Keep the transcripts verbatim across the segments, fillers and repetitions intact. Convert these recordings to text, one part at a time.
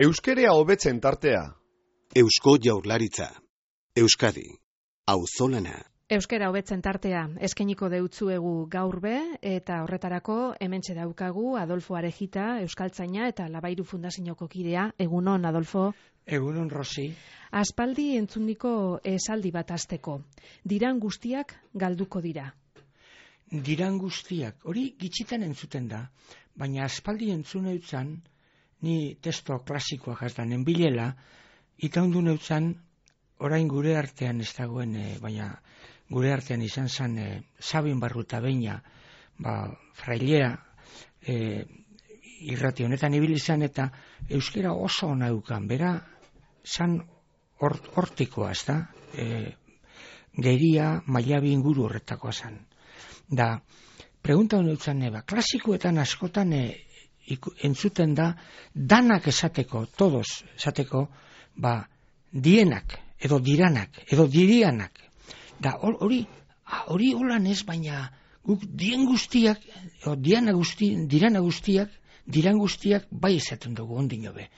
Euskera hobetzen tartea. Eusko Jaurlaritza. Euskadi. Auzolana. Euskera hobetzen tartea eskainiko deutzuegu gaur be, eta horretarako hementxe daukagu Adolfo Arejita, euskaltzaina eta Labairu Fundazioko kidea. Egunon, Adolfo. Egunon, Rosi. Aspaldi entzundiko esaldi bat hasteko. Diran guztiak galduko dira. Diran guztiak, hori gitxitan entzuten da, baina aspaldi entzun eutzan, ni testo klasikoak azdan enbilela, eta ondu neutzan, orain gure artean ez dagoen, e, baina gure artean izan zen e, Sabin Barruta Beina, ba, frailea, e, irrati honetan ibili zen, eta euskera oso ona eukan, bera, zan hort, hortikoa, ez da, e, geria mailabi inguru horretakoa zen. Da, pregunta honetan neba, klasikoetan askotan e, iku, entzuten da, danak esateko, todos esateko, ba, dienak, edo diranak, edo dirianak. Da, hori, hori holan ez, baina guk dien guztiak, edo diana guzti, dirana guztiak, diran guztiak bai esaten dugu ondino be.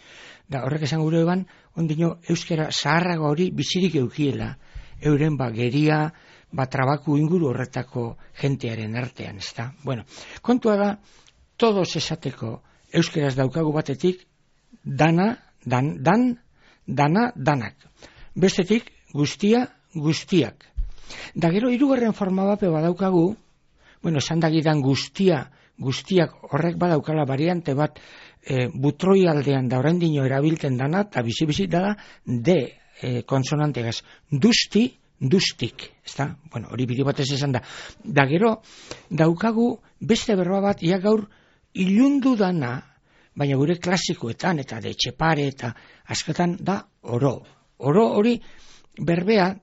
Da, horrek esan gure eban, ondino euskera zaharrago hori bizirik eukiela, euren ba geria, ba trabaku inguru horretako jentearen artean, ez da. Bueno, kontua da, todos esateko euskeraz daukagu batetik, dana, dan, dan, dana, danak. Bestetik, guztia, guztiak. Da gero, hirugarren forma bape badaukagu, bueno, esan dagidan guztia, guztiak horrek badaukala variante bat, e, butroi aldean da oraindino erabilten dana, eta bizi-bizi da, de e, konsonantegaz, duzti, duztik, ez da? Bueno, hori bide batez esan da. Da gero, daukagu beste berba bat, ia gaur, ilundu dana, baina gure klasikoetan, eta de Etxepare, eta askotan da, oro. Oro hori berbea,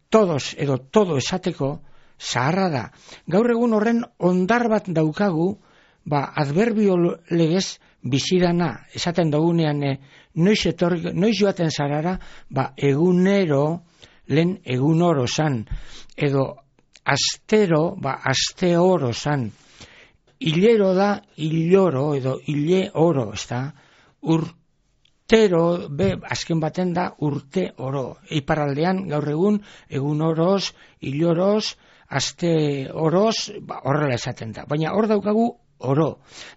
todos edo todo esateko, zaharra da. Gaur egun horren ondar bat daukagu, ba, adverbio legez bizidana, esaten dugunean, e, noiz, etorri, noiz joaten zarara, ba, egunero, lehen egun oro zan, edo astero, ba, aste oro zan, hilero da, hiloro, edo hile oro, ez da, urtero, be, azken baten da, urte oro. Iparraldean, gaur egun, egun oroz, hiloroz, aste oroz, ba, horrela esaten da. Baina hor daukagu oro.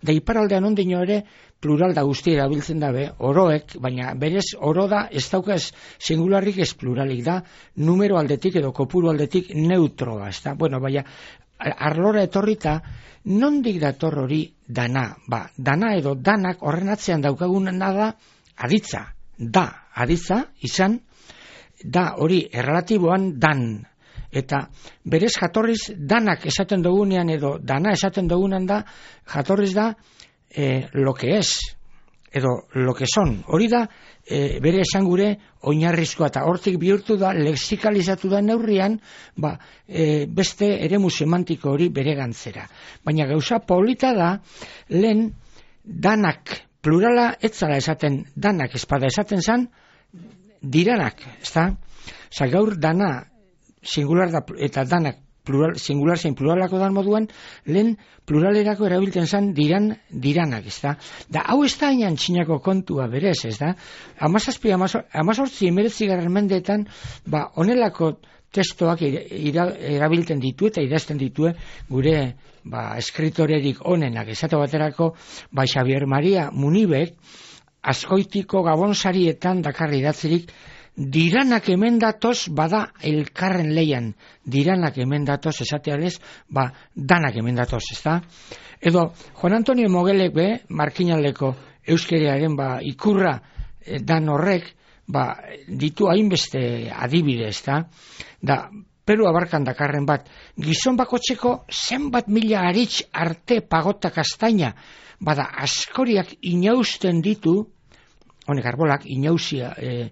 Da iparraldean ondino ere, plural da guzti erabiltzen dabe, oroek, baina berez oro da, ez dauka ez singularrik ez pluralik da, numero aldetik edo kopuru aldetik neutroa, ez da. Bueno, baina, arlora etorrita, nondik dator hori dana? Ba, dana edo danak horren atzean daukagun da, aditza, da, aditza, izan, da hori errelatiboan dan, eta berez jatorriz danak esaten dugunean edo dana esaten dugunean da, jatorriz da eh, lo que es, edo lo que son. Hori da e, bere esan gure oinarrizkoa, eta hortik bihurtu da, lexikalizatu da neurrian, ba, e, beste eremu semantiko hori bere gantzera. Baina gauza polita da, lehen danak, plurala etzala esaten danak, espada esaten zan, diranak, ezta? Osa, gaur dana, singular da, eta danak, plural, singular zein pluralako dan moduan, lehen pluralerako erabiltzen zan diran, diranak, ez da? Da, hau ez da hainan txinako kontua berez, ez da? Amazazpi, amazortzi, emeretzi garren mendeetan, ba, onelako testoak ira, erabiltzen ditu eta idazten ditue gure, ba, eskritorerik onenak, esate baterako, ba, Xavier Maria Munibek, Azkoitiko Gabonsarietan dakarri idatzirik, diranak hemen datoz, bada elkarren leian, diranak hemen datoz, esatealez, ba, danak hemen datoz, ez da? Edo, Juan Antonio Mogelek be, Markinaldeko euskerearen, ba, ikurra eh, dan horrek, ba, ditu hainbeste adibide, ez da? Da, Peru abarkan dakarren bat, gizon bakotxeko zenbat mila aritz arte pagota kastaina, bada, askoriak inausten ditu, honek arbolak, inauzia, eh,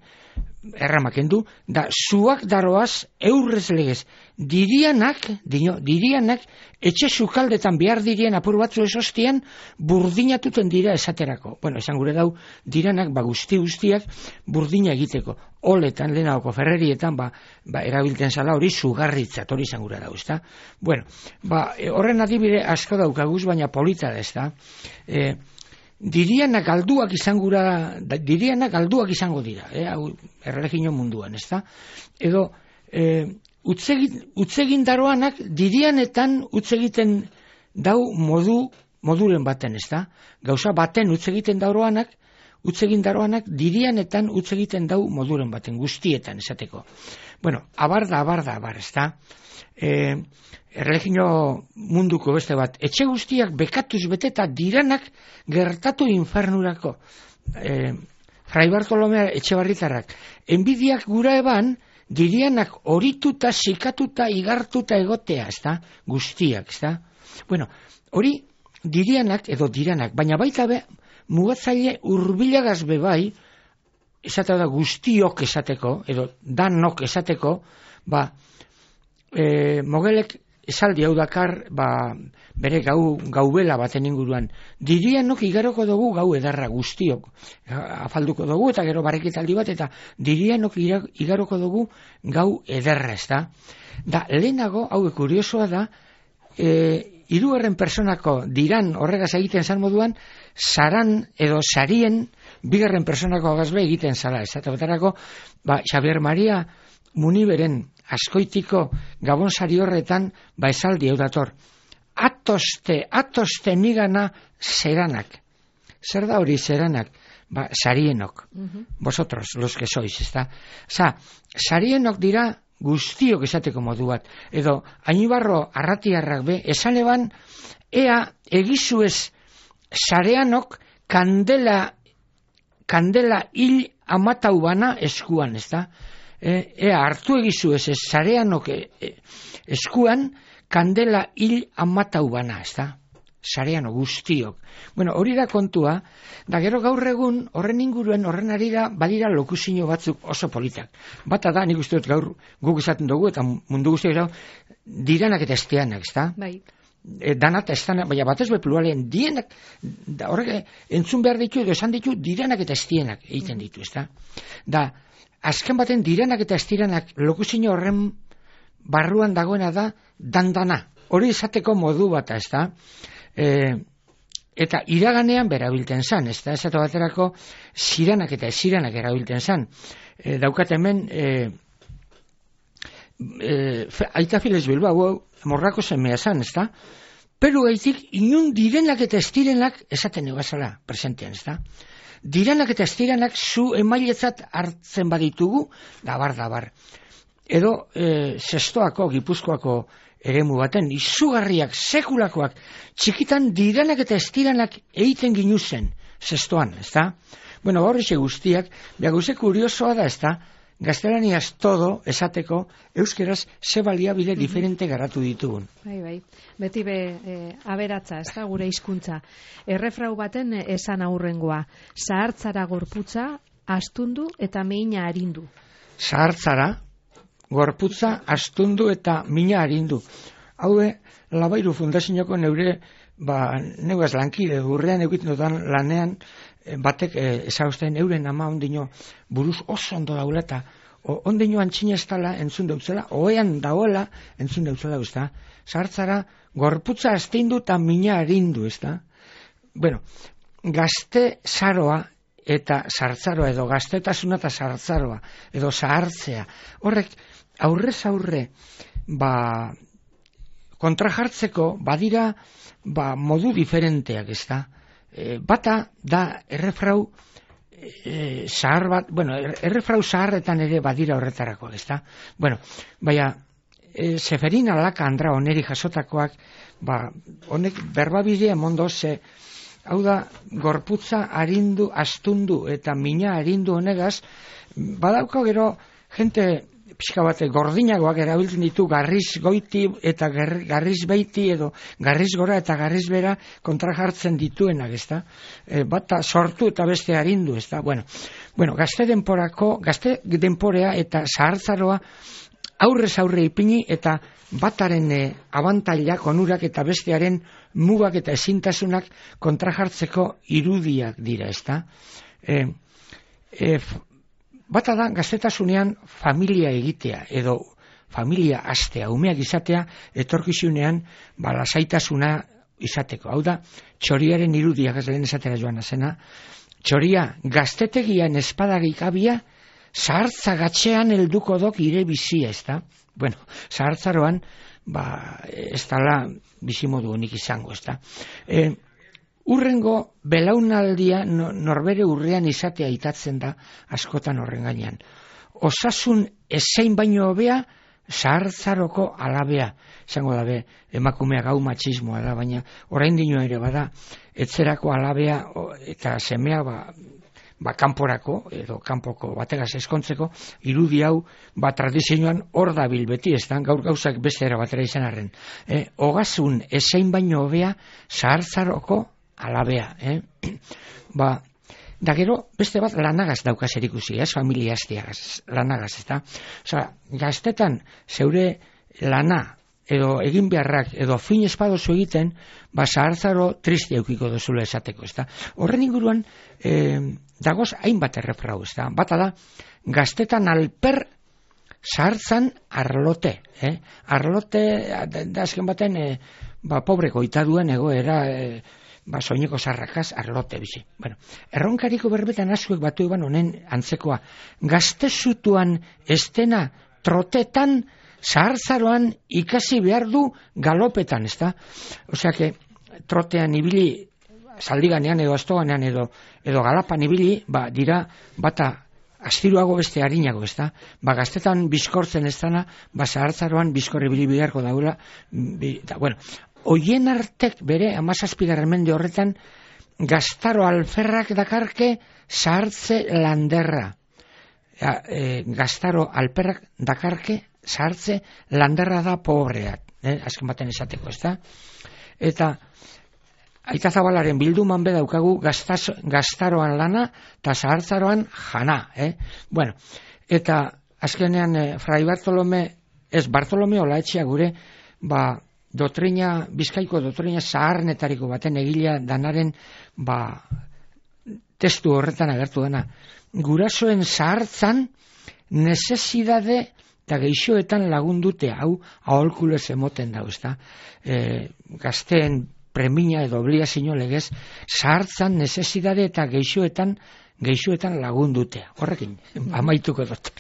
erramaken du, da zuak daroaz eurrez legez, dirianak, dino, dirianak, etxe sukaldetan behar dirien apur batzu esostian, burdinatuten dira esaterako. Bueno, esan gure dau, diranak, ba guzti guztiak, burdina egiteko. Oletan, lehenagoko ferrerietan, ba, ba erabiltzen zala hori sugarritzat, hori izan gure dau, ezta? Bueno, ba, horren adibide asko daukaguz, baina polita da, ezta? E, dirianak galduak izangura, dirianak galduak izango dira, eh, hau erreligio munduan, ezta? Edo eh, utzegin daroanak dirianetan utzegiten dau modu moduren baten, ezta? Gauza baten utzegiten daroanak, utzegin daroanak dirianetan utzegiten dau moduren baten, guztietan esateko. Bueno, abarda, abarda, abar, ezta? Eh, erreligio munduko beste bat, etxe guztiak bekatuz beteta diranak gertatu infernurako. E, Fray Bartolomea Etxebarritarrak, enbidiak gura eban, dirianak horituta, sikatuta, igartuta egotea, ezta? Guztiak, ezta? Bueno, hori dirianak edo diranak, baina baita be, mugatzaile hurbilagaz bebai, esateko da guztiok esateko, edo danok esateko, ba, e, mogelek esaldi hau dakar, ba, bere gau, gaubela baten inguruan. Dirianok igaroko dugu gau edarra guztiok. Afalduko dugu eta gero barriketaldi bat, eta dirianok igaroko dugu gau edarra, ez da? Da, lehenago, hau kuriosoa da, e, hirugarren personako diran horregaz egiten zan moduan, saran edo sarien bigarren personako agazbe egiten zala, ez da? Eta batarako, ba, Xabier Maria Muniberen askoitiko gabonsari horretan ba esaldi hau dator. Atoste, atoste nigana zeranak. Zer da hori zeranak? Ba, sarienok. Uh-huh. Vosotros, los que sois, ezta? Osa, sarienok dira guztiok esateko modu bat. Edo, Ainibarro arratiarrak be, esan eban, ea egizuez sareanok kandela, kandela hil amatau bana eskuan, ezta? E, ea hartu egizu ez ez sareanok e, e, eskuan kandela hil amatau bana, ez da? Sareano guztiok. Bueno, hori da kontua, da gero gaur egun horren inguruen, horren ari da, badira lokuzio batzuk oso politak. Bata da, nik uste dut gaur guk izaten dugu, eta mundu guztiak dago, diranak eta esteanak, ez da? Bai. E, danat estanak, baina batez be pluralean, dienak, da, horrek entzun behar ditu, edo esan ditu, diranak eta estienak egiten ditu, ez da? Da, azken baten diranak eta estiranak lokuzio horren barruan dagoena da dandana. Hori izateko modu bat, ez da? E, eta iraganean berabilten zan, ez da? Esatu baterako ziranak eta eziranak erabilten zan. E, daukat hemen e, e, Aita Files Bilbao morrako semea zan, ez da? Peru gaitik inun direnak eta estirenak esaten egazala presentean, ez da? Diranak eta estiranak zu emailetzat hartzen baditugu, dabar, dabar. Edo, e, zestoako, gipuzkoako eremu baten, izugarriak, sekulakoak, txikitan diranak eta estiranak egiten ginuzen, zestoan, ez da? Bueno, horretxe guztiak, behar guze kuriosoa da, ez da? Gaztelaniaz todo esateko euskeraz ze baliabide diferente garatu ditugun. Bai, bai. Beti be e, aberatza, ez da, gure hizkuntza. Errefrau baten esan aurrengoa. Zahartzara gorputza, astundu eta mina arindu. Zahartzara, gorputza, astundu eta mina arindu. Haue, Labairu Fundazioko neure, ba, neuaz lankide, urrean egiten dudan lanean, batek eh, ezaguzten euren ama ondino buruz oso ondo daula eta ondino antxina ez dala entzun deutzela, oean daoela entzun deutzela, ez da? Zahartzara, gorputza asteindu eta mina arindu, ez da? Bueno, gazte zaroa eta zartzaroa, edo gaztetasuna eta zartzaroa, edo zahartzea, horrek aurrez aurre, ba, kontrajartzeko badira, ba, modu diferenteak, ez da? E, bata da errefrau e, zahar bat, bueno, errefrau zaharretan ere badira horretarako, ez da? Bueno, baina, e, Seferin Alaka Andra oneri jasotakoak, ba, honek berbabidea mondo ze, hau da, gorputza arindu, astundu eta mina arindu honegaz, badauko gero, jente pixka bate gordinagoak erabiltzen ditu garriz goiti eta garriz beiti edo garriz gora eta garriz bera kontra jartzen dituenak, ez da? E, bata sortu eta beste arindu, ez da? Bueno, bueno, gazte denporako, gazte denporea eta zahartzaroa aurrez aurre ipini eta bataren e, abantailak, onurak eta bestearen mugak eta ezintasunak kontra jartzeko irudiak dira, ez da? E, e, Bata da, gaztetasunean familia egitea, edo familia astea, umeak izatea, etorkizunean, ba, lasaitasuna izateko. Hau da, txoriaren irudiak ez lehen esatera joan azena, txoria gaztetegian espadagikabia zahartza gatxean helduko dok ire bizia, ez da? Bueno, zahartzaroan, ba, ez dala bizimodu honik izango, ez da? E, urrengo belaunaldia norbere urrean izatea itatzen da askotan horren gainean. Osasun ezein baino hobea, zahartzaroko alabea, izango dabe, emakumea gau matxismoa da, baina orain dino ere bada, etzerako alabea eta semea ba, ba kanporako, edo kanpoko bategaz eskontzeko, irudi hau, ba tradizioan hor dabil beti, ez da, gaur gauzak beste era batera izan arren. E, ogasun ezein baino hobea, zahartzaroko alabea. Eh? ba, Da gero, beste bat lanagaz daukaz erikusi, ez, familia hastiagaz, lanagaz, ez da? Osa, gaztetan, zeure lana, edo egin beharrak, edo fin espadozu egiten, ba, zahartzaro tristi eukiko dozula esateko, ez da? Horren inguruan, eh, dagoz hainbat errefrau, ez da? Bata da, gaztetan alper zahartzan arlote, eh? Arlote, da azken baten, eh, ba, pobre goitaduen egoera, eh, ba, soineko zarrakaz arlote bizi. Bueno, erronkariko berbetan azuek batu eban honen antzekoa. Gaztezutuan estena trotetan, zahartzaroan ikasi behar du galopetan, ez da? Osea, que trotean ibili, zaldiganean edo astoganean edo, edo galapan ibili, ba, dira, bata, astiruago beste harinago, ez da? Ba, gaztetan bizkortzen ez dana, ba, zahartzaroan bizkorri bili biharko daula, bi, da, bueno, Oien artek bere amazazpigarren mende horretan gaztaro alferrak dakarke zahartze landerra. Ja, e, gaztaro alferrak dakarke zahartze landerra da pobreak. Eh? Azken baten esateko, ez da? Eta Aita Zabalaren bilduman be daukagu gaztaz, gaztaroan lana eta zahartzaroan jana. Eh? Bueno, eta azkenean eh, Fray Bartolome, ez Bartolome Olaetxea gure, ba, Dotrina, Bizkaiko dotrina zaharnetariko baten egilea danaren ba, testu horretan agertu dena. Gurasoen zahartzan nezesidade eta geixoetan lagundute, hau aholkulez emoten da, ezta? E, gazteen premia edo obligazio legez, zahartzan nezesidade eta geixoetan geixoetan lagundutea. Horrekin, amaituko dut.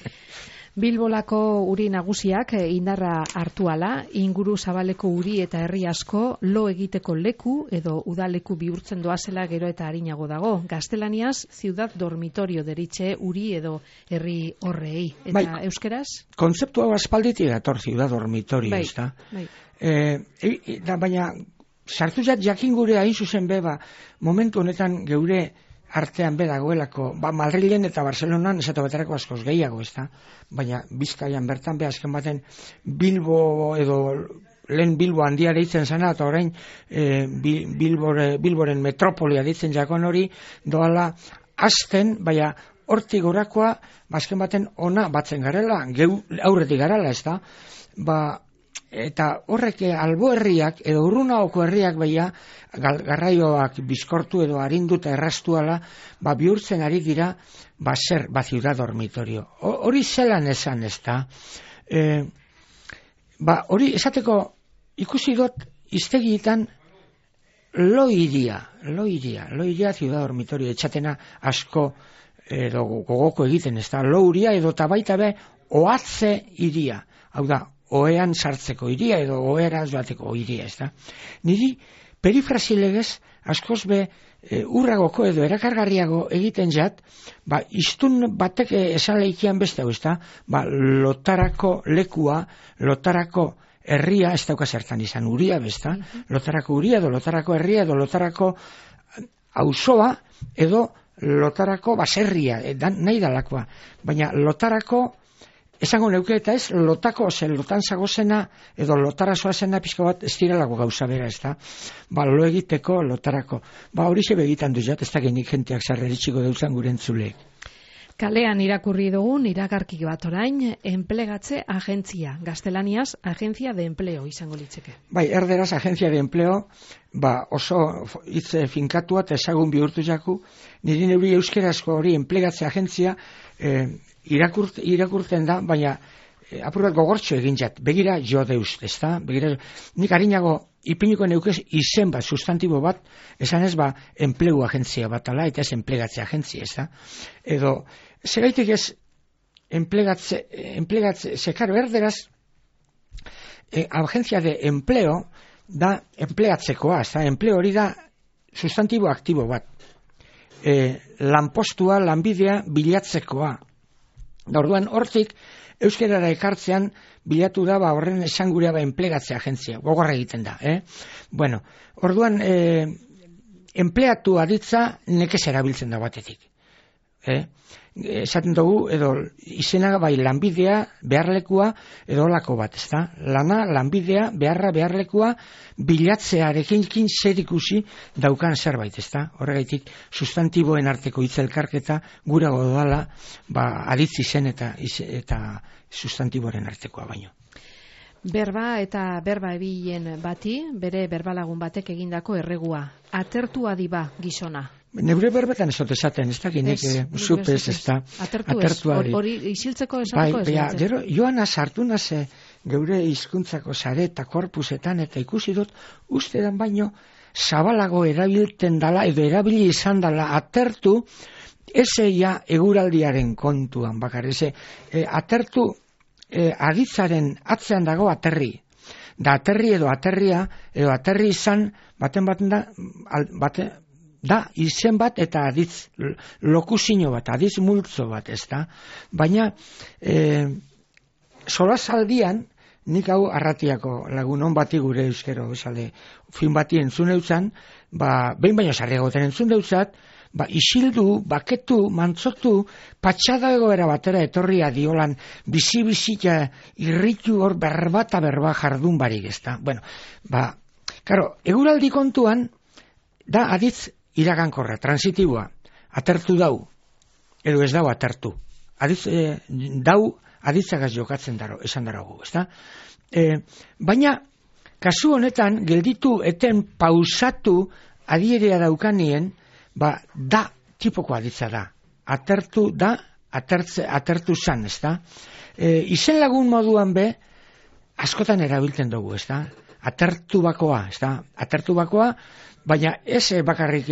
Bilbolako uri nagusiak indarra hartuala, inguru zabaleko uri eta herri asko lo egiteko leku edo udaleku bihurtzen doazela gero eta arinago dago. Gaztelaniaz, ciudad dormitorio deritxe uri edo herri horrei. Eta bai, euskeraz? Kontzeptu hau aspalditik dator ciudad dormitorio, bai, ez da? Bai. E, e, da, baina, sartu jat jakin gure hain zuzen beba, momentu honetan geure artean bedagoelako, ba, Madrilen eta Barcelonan esate baterako askoz gehiago, ez da? Baina Bizkaian bertan be azken baten Bilbo edo lehen Bilbo handia deitzen zana, eta orain e, Bilbore, Bilboren metropolia deitzen jakon hori, doala azten, baina hortik gorakoa, azken baten ona batzen garela, geu aurretik garela, ez da? Ba, eta horrek albo herriak edo urrunaoko herriak beia garraioak bizkortu edo arinduta errastuala, ba bihurtzen ari dira ba zer, ba ciudad dormitorio. Hori zelan esan, ez da? E, ba hori esateko ikusi dut iztegietan lo iria, lo iria, lo iria ciudad dormitorio etxatena asko edo gogoko egiten, ez da? Lo uria edo tabaita be oatze iria, hau da, oean sartzeko iria edo oera joateko iria, ez da. Niri perifrasilegez askoz be e, urragoko edo erakargarriago egiten jat, ba, iztun batek esan leikian beste, ez da, ba, lotarako lekua, lotarako herria, ez dauka zertan izan uria, besta, lotarako uria edo lotarako herria edo lotarako auzoa edo lotarako baserria, e, dan, nahi dalakoa, baina lotarako esango neuke eta ez, lotako, ze lotan zagozena, edo lotara zoazena pizka bat ez direlako gauza bera, ez da? Ba, lo egiteko, lotarako. Ba, hori ze begitan duzat, ez da genik jenteak zarreritxiko deuzan gure entzule. Kalean irakurri dugun iragarki bat orain, enplegatze agentzia. Gaztelaniaz, agencia de empleo izango litzeke. Bai, erderaz, agencia de empleo, ba, oso hitz finkatua eta ezagun bihurtu jaku, niri neuri euskerazko hori enplegatze agentzia, eh, Irakurt, irakurten da, baina e, apur bat gogortxo egin jat, begira jo deuz, ez da? Begira, nik harinago ipiniko neukez izen bat, sustantibo bat, esan ez ba, enplegu agentzia bat ala, eta ez enplegatze agentzia, ez da? Edo, zeraitik ez, enplegatze, enplegatze, zekaro, erderaz, eh, agentzia de empleo, da enpleatzekoa, ez da? Empleo hori da, sustantibo aktibo bat. Eh, lanpostua, lanbidea, bilatzekoa. Da, orduan, hortik, euskerara ekartzean, bilatu da, ba, horren esangurea ba, enplegatze agentzia, gogorra egiten da, eh? Bueno, orduan, eh, enpleatu aditza nekez erabiltzen da batetik, eh? Esaten dugu, edo izena bai lanbidea, beharlekua, edo olako bat, ez da? Lana, lanbidea, beharra, beharlekua, bilatzearekin zer ikusi daukan zerbait, ez da? Horregaitik, sustantiboen arteko hitzelkarketa gura godala, ba, aditzi zen eta, eta sustantiboren artekoa baino. Berba eta berba ebilen bati, bere berbalagun batek egindako erregua. Atertua diba gizona. Neure berbetan ez dut esaten, ez dakit nik zupez ez da. Atertu ez, hori isiltzeko esateko ez. Bai, gero, joana sartu naze geure hizkuntzako sare eta korpusetan, eta ikusi dut, uste dan baino, zabalago erabilten dala, edo erabili izan dala, atertu, ezeia eguraldiaren kontuan, bakar, eze, e, atertu, e, aditzaren atzean dago aterri. Da aterri edo aterria, edo aterri izan, baten baten da, al, bate, da, izen bat eta aditz lokusino bat, aditz multzo bat, ez da? Baina, e, solazaldian, nik hau arratiako lagunon bati gure euskero, esale, fin bati entzun eutzan, ba, behin baino sarriagoten entzun deutzat, ba, isildu, baketu, mantzotu, patxada egoera batera etorria diolan, bizi-bizita irritu hor berba eta berba jardun barik, ez da? Bueno, ba, karo, eguraldi kontuan, da aditz iragankorra, transitiboa, atertu dau, edo ez dau atertu. Aditz, e, dau, aditzagaz jokatzen daro, esan daragu, ez da? E, baina, kasu honetan, gelditu eten pausatu adierea daukanien, ba, da, tipoko aditza da. Atertu da, atertze, atertu zan, ez da? E, izen lagun moduan be, askotan erabiltzen dugu, ez da? Atertu bakoa, ez da? Atertu bakoa, baina ez bakarrik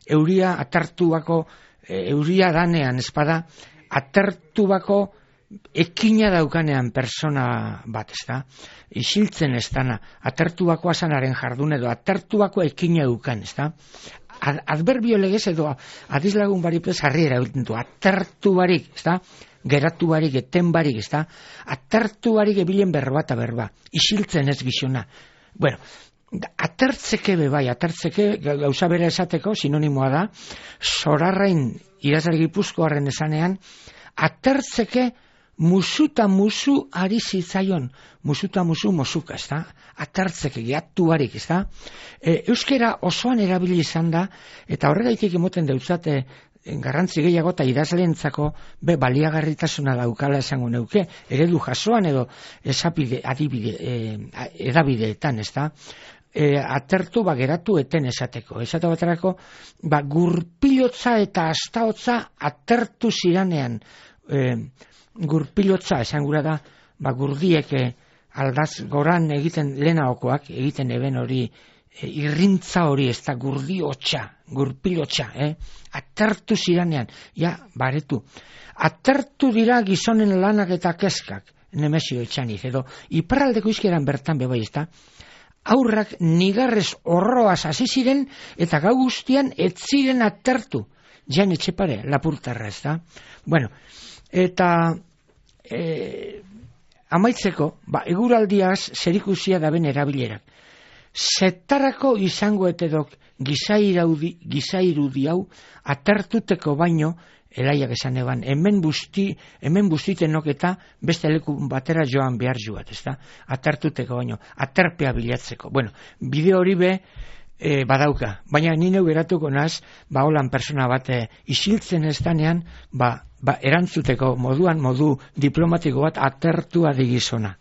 euria atertu bako, euria danean, espada, atertu bako ekina daukanean persona bat, ez da? Isiltzen ez dana, atertu bakoa zanaren jardun edo, atertu bako ekina dukan, ez da? Adverbio legez edo adizlagun baripez harri erabiltzen du, atertu barik, ez da? Geratu barik, eten barik, ez da? Atertu barik ebilen berba eta berba, isiltzen ez gizona. Bueno, atertzeke be bai, atertzeke gauza bera esateko sinonimoa da, Zorarrain idazle gipuzkoarren esanean, atertzeke musuta musu ari zitzaion, musuta musu mosuka, ez da? Atertzeke, geatu barik, ez da? E, euskera osoan erabili izan da, eta horregaitik emoten deutzate garrantzi gehiago eta idazleentzako be baliagarritasuna daukala esango neuke, eredu jasoan edo esapide, adibide, e, edabideetan, ez da? E, atertu ba geratu eten esateko. Esate baterako, ba gurpilotza eta astaotza atertu ziranean, e, gurpilotza esan gura da, ba gurdiek e, aldaz goran egiten lehenagokoak, egiten eben hori, e, irrintza hori, ez da gurdiotxa, gurpilotxa, eh? Atertu ziranean, ja, baretu. Atertu dira gizonen lanak eta keskak, Nemesio etxaniz, edo iparraldeko izkeran bertan bebai, ez da? Aurrak nigarrez horroaz hasi ziren eta gau guztian ez ziren atertu. Jan Etxepare, Lapurtarra, ez da? Bueno, eta e, amaitzeko, ba, eguraldiaz zerikusia da ben erabilerak. Zetarako izango etedok gizairudi hau atertuteko baino, elaiak esan eban, hemen busti, hemen bustitenok eta beste leku batera joan behar joat, ez da? Atertuteko baino, aterpea bilatzeko. Bueno, bideo hori be e, badauka, baina ni neu geratuko naz, ba holan persona bat e, isiltzen ez danean, ba, ba erantzuteko moduan, modu diplomatiko bat atertua digizona.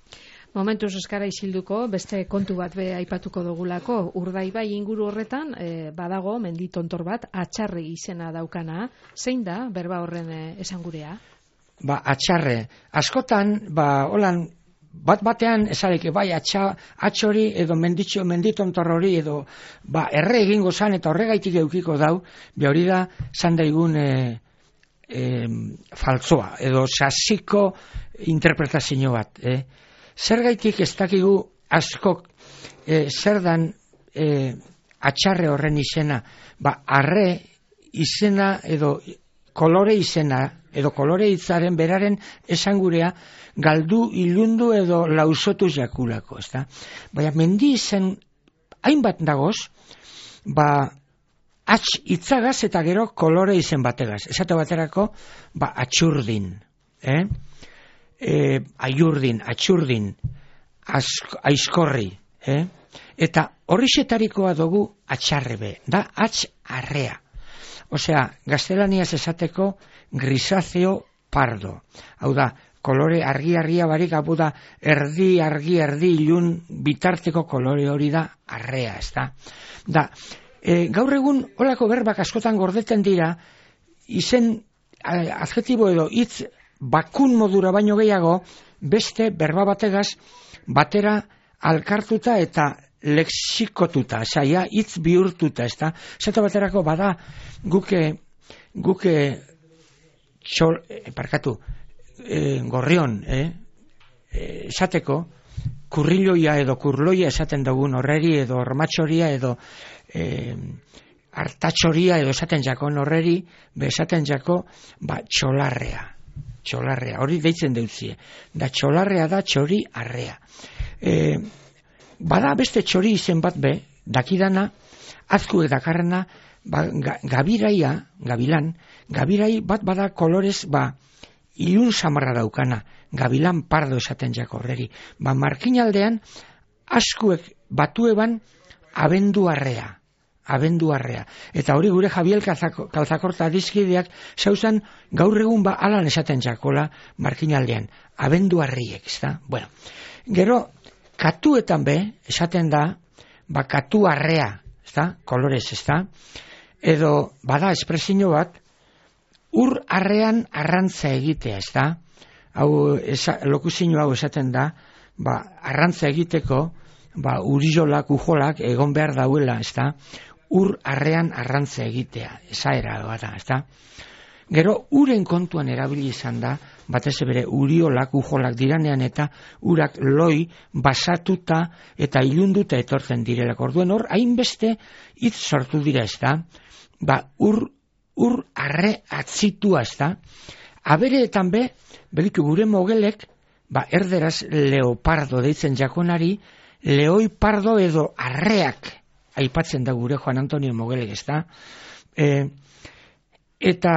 Momentuz eskara isilduko, beste kontu bat be aipatuko dugulako, Urdaibai inguru horretan, e, badago menditontor bat, Atxarre izena daukana, zein da berba horren e, esangurea? Ba, Atxarre, askotan, ba, holan, bat batean esareke bai atxa, atxori edo menditxo, menditontor hori edo ba, erre egingo zan eta horregaitik eukiko dau, be hori da zan daigun e, e, faltzoa edo sasiko interpretazio bat. Eh? Zergaitik ez dakigu askok e, zer dan e, atxarre horren izena, ba, arre izena edo kolore izena, edo kolore hitzaren beraren esangurea galdu, ilundu edo lausotu jakulako, ezta? Baina mendi izen hainbat dagoz, ba, atx hitzagaz eta gero kolore izen bategaz. Esate baterako, ba, atxurdin, eh? E, aiurdin, atxurdin, ask, aizkorri, eh? Eta horrixetarikoa dugu atxarrebe, da atx arrea. Osea, gaztelaniaz esateko grisaceo pardo. Hau da, kolore argi-argia barik, hau da, erdi, argi, erdi, ilun, bitarteko kolore hori da arrea, ez da. Da, e, gaur egun, holako berbak askotan gordeten dira, izen adjetibo edo hitz bakun modura baino gehiago, beste berba bategaz, batera alkartuta eta lexikotuta, saia hitz bihurtuta, ez da. Zeta baterako bada guke guke txol, eh, parkatu, eh, gorrion, eh, esateko, kurriloia edo kurloia esaten dugun horreri edo ormatxoria edo eh, hartatxoria edo esaten jakon horreri, be esaten jako, ba, txolarrea. Txolarrea, hori deitzen deutzie. Da txolarrea da txori arrea. Eh, Bada beste txori izen bat be, dakidana, azku edakarrena, ba, ga, gabiraia, gabilan, gabirai bat bada kolorez, ba, ilun samarra daukana, gabilan pardo esaten jako horreri. Ba, markinaldean, askuek batueban abenduarrea, abenduarrea. Eta hori gure Javier Kalzakorta dizkideak, zauzan gaur egun ba alan esaten jakola markinaldean, abenduarriek, ezta? Bueno, gero, katuetan be, esaten da, ba, katu arrea, ezta? Kolorez, ezta? Edo, bada, espresio bat, ur arrean arrantza egitea, ezta? Hau, esa, lokuzio hau esaten da, ba, arrantza egiteko, ba, urizolak, ujolak, egon behar dauela, ezta? Ur arrean arrantza egitea, esaera bada, ezta? Gero, uren kontuan erabili izan da, batez bere uriolak, ujolak diranean eta urak loi basatuta eta ilunduta etortzen direlak. Orduen hor, hainbeste hitz sortu dira, ez da? Ba, ur, ur arre atzitua, ez da? Abereetan be, belitu gure mogelek, ba, erderaz leopardo deitzen jakonari, leoi pardo edo arreak aipatzen da gure Juan Antonio Mogelek, ez da? E, eta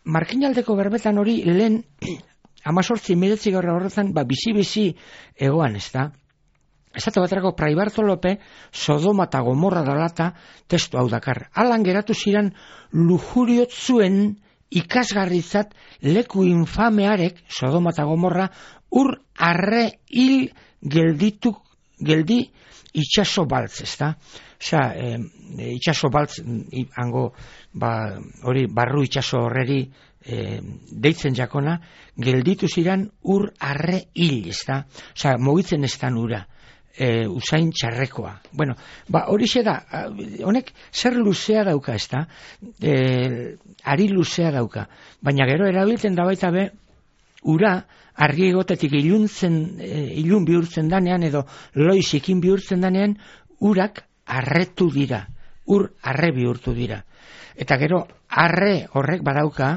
markinaldeko berbetan hori lehen amazortzi miretzi gaur horretan ba, bizi-bizi egoan, ez da? Esate baterako Fray Bartolope Sodoma eta Gomorra dalata testu hau dakar. Alan geratu ziren lujuriotzuen ikasgarrizat leku infamearek Sodoma eta Gomorra ur arre hil gelditu geldi itxaso baltz, ez da? Osea, e, itxaso baltz hango ba, hori barru itxaso horreri e, deitzen jakona, gelditu ziren ur arre hil, ez da? Osea, mugitzen ez da ura, e, usain txarrekoa. Bueno, ba, horixe da, honek zer luzea dauka, ez da? E, ari luzea dauka. Baina gero erabiltzen da baita be, ura argi egotetik iluntzen, e, ilun bihurtzen danean edo loizikin bihurtzen danean, urak arretu dira, ur arre bihurtu dira. Eta gero, arre horrek badauka,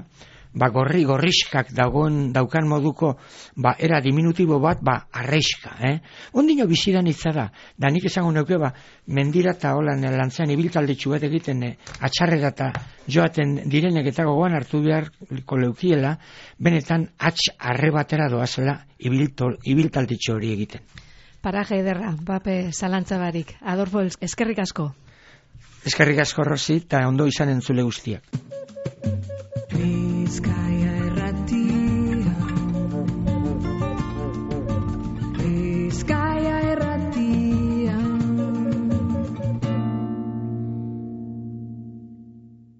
ba gorri gorriskak dagoen daukan moduko, ba era diminutibo bat, ba arreiska, eh? Ondino bizidan hitza da, da nik esango neuke, ba, mendira eta holan lantzean ibiltaldetxu bat egiten, eh, atxarrera eta joaten direnek eta gogoan hartu beharko leukiela, benetan atx arre batera doazela ibiltaldetxu hori egiten. Paraje ederra, bape zalantzabarik. Adolfo, eskerrik asko. Eskerrik asko, Rosi, eta ondo izan entzule guztiak.